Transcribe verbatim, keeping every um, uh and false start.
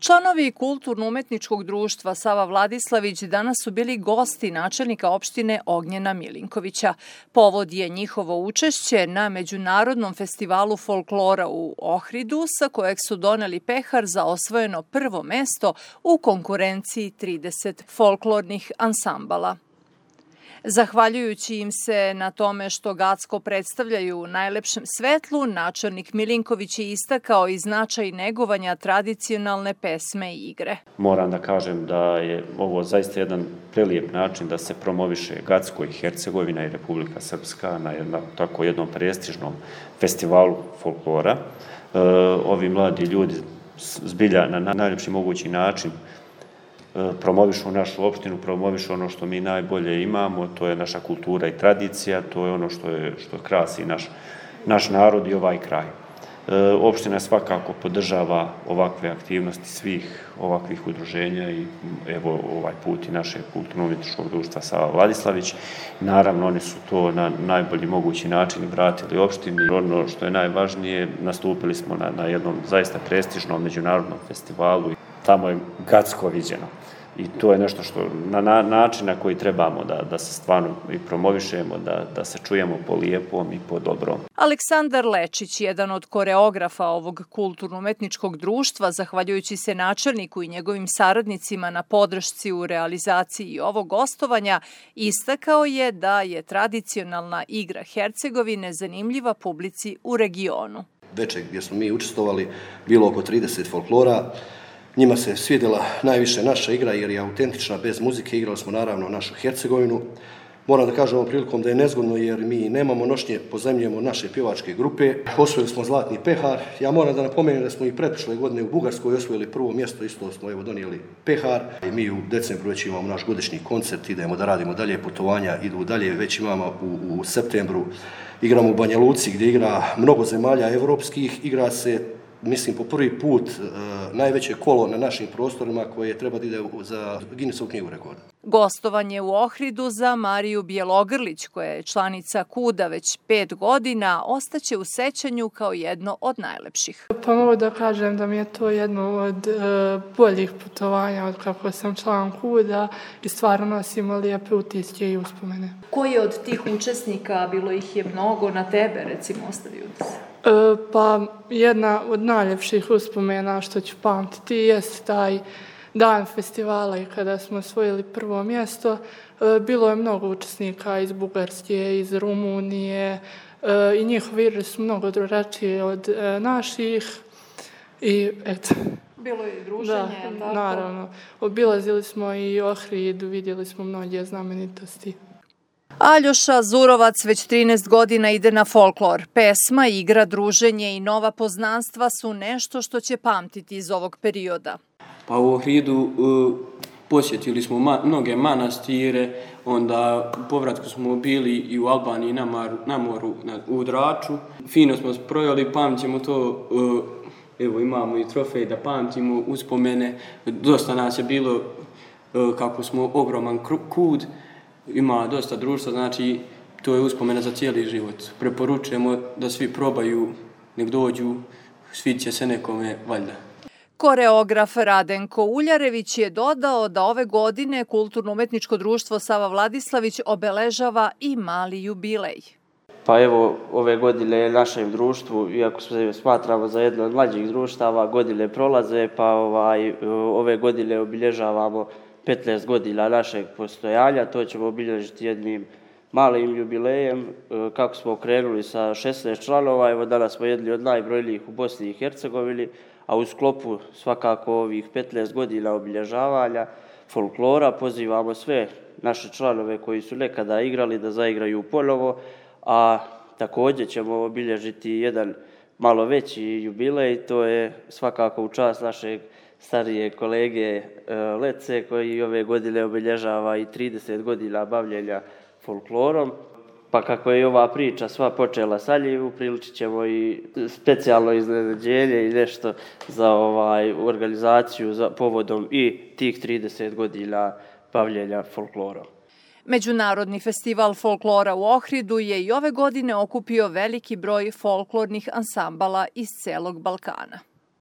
Članovi Kulturno-umetničkog društva Sava Vladislavić danas su bili gosti načelnika opštine Ognjena Milinkovića. Povod je njihovo učešće na Međunarodnom festivalu folklora u Ohridu, sa kojeg su doneli pehar za osvojeno prvo mesto u konkurenciji trideset folklornih ansambala. Zahvaljujući im se na tome što Gacko predstavljaju u najlepšem svetlu, načelnik Milinković je istakao i značaj negovanja tradicionalne pesme i igre. Moram da kažem da je ovo zaista jedan prelijep način da se promoviše Gacko i Hercegovina i Republika Srpska na jednom, tako jednom prestižnom festivalu folklora. E, ovi mladi ljudi zbilja na najljepši mogući način promovišu našu opštinu, promovišu ono što mi najbolje imamo, to je naša kultura i tradicija, to je ono što, je, što krasi naš, naš narod i ovaj kraj. E, opština svakako podržava ovakve aktivnosti svih ovakvih udruženja i evo ovaj put i našeg Kulturno-umetničkog društva Sava Vladislavić. Naravno, oni su to na najbolji mogući način vratili opštini. Ono što je najvažnije, nastupili smo na, na jednom zaista prestižnom međunarodnom festivalu. Tamo je Gacko viđeno. I to je nešto što na, na način na koji trebamo da, da se stvarno i promovišemo, da, da se čujemo po lijepom i po dobrom. Aleksandar Lečić, jedan od koreografa ovog kulturno-umetničkog društva, zahvaljujući se načelniku i njegovim saradnicima na podršci u realizaciji ovog gostovanja, istakao je da je tradicionalna igra Hercegovine zanimljiva publici u regionu. Večer gdje smo mi učestvovali, bilo oko trideset folklora. Njima se svidjela najviše naša igra jer je autentična, bez muzike. Igrali smo naravno našu Hercegovinu. Moram da kažem ovom prilikom da je nezgodno jer mi nemamo nošnje, pozajmljujemo naše pjevačke grupe. Osvojili smo zlatni pehar. Ja moram da napomenem da smo i pretprošle godine u Bugarskoj osvojili prvo mjesto, isto smo evo donijeli pehar. I mi u decembru već imamo naš godišnji koncert, idemo da radimo dalje, putovanja idu dalje, već imamo u, u septembru. Igramo u Banja Luci gdje igra mnogo zemalja evropskih, igra se mislim po prvi put e, najveće kolo na našim prostorima koje treba da ide za Guinnessovu knjigu rekorda. Gostovanje u Ohridu za Mariju Bjelogrlić, koja je članica KUD-a već pet godina, ostaće u sećanju kao jedno od najlepših. Pa mogu da kažem da mi je to jedno od e, boljih putovanja od kako sam član KUD-a i stvarno nosimo lijepe utiske i uspomene. Koji od tih učesnika, bilo ih je mnogo, na tebe recimo ostavio utisak? E, pa jedna od najljepših uspomena što ću pamtiti jest taj dan festivala i kada smo osvojili prvo mjesto. E, bilo je mnogo učesnika iz Bugarske, iz Rumunije e, i njihovi igre su mnogo drugačije od e, naših i eto. Bilo je i druženje, da, tako? Naravno. Obilazili smo i Ohrid, vidjeli smo mnoge znamenitosti. Aljoša Zurovac već trinaest godina ide na folklor. Pesma, igra, druženje i nova poznanstva su nešto što će pamtiti iz ovog perioda. Pa u Ohridu uh, posjetili smo ma, mnoge manastire, onda u povratku smo bili i u Albaniji na, maru, na moru na, u Draču. Fino smo projeli, pamtimo to, uh, evo imamo i trofej da pamtimo, uspomene. Dosta nas je bilo uh, kako smo ogroman kud. Ima dosta društva, znači to je uspomena za cijeli život. Preporučujemo da svi probaju, nek dođu, sviće se nekome valjda. Koreograf Radenko Uljarević je dodao da ove godine Kulturno-umetničko društvo Sava Vladislavić obeležava i mali jubilej. Pa evo, ove godine našem društvu, iako se smatramo za jedno od mlađih društava, godine prolaze, pa ovaj, ove godine obilježavamo petnaest godina našeg postojanja. To ćemo obilježiti jednim malim jubilejem. Kako smo krenuli sa šesnaest članova, evo danas smo jedni od najbrojnijih u Bosni i Hercegovini, a u sklopu svakako ovih petnaest godina obilježavanja folklora pozivamo sve naše članove koji su nekada igrali da zaigraju ponovo, a također ćemo obilježiti jedan malo veći jubilej, to je svakako u čast našeg starije kolege Lece koji ove godine obilježava i trideset godina bavljenja folklorom. Pa kako je ova priča sva počela sa njim, upriličit ćemo i specijalno iznenađenje i nešto za ovaj, organizaciju za povodom i tih trideset godina bavljenja folklorom. Međunarodni festival folklora u Ohridu je i ove godine okupio veliki broj folklornih ansambala iz celog Balkana.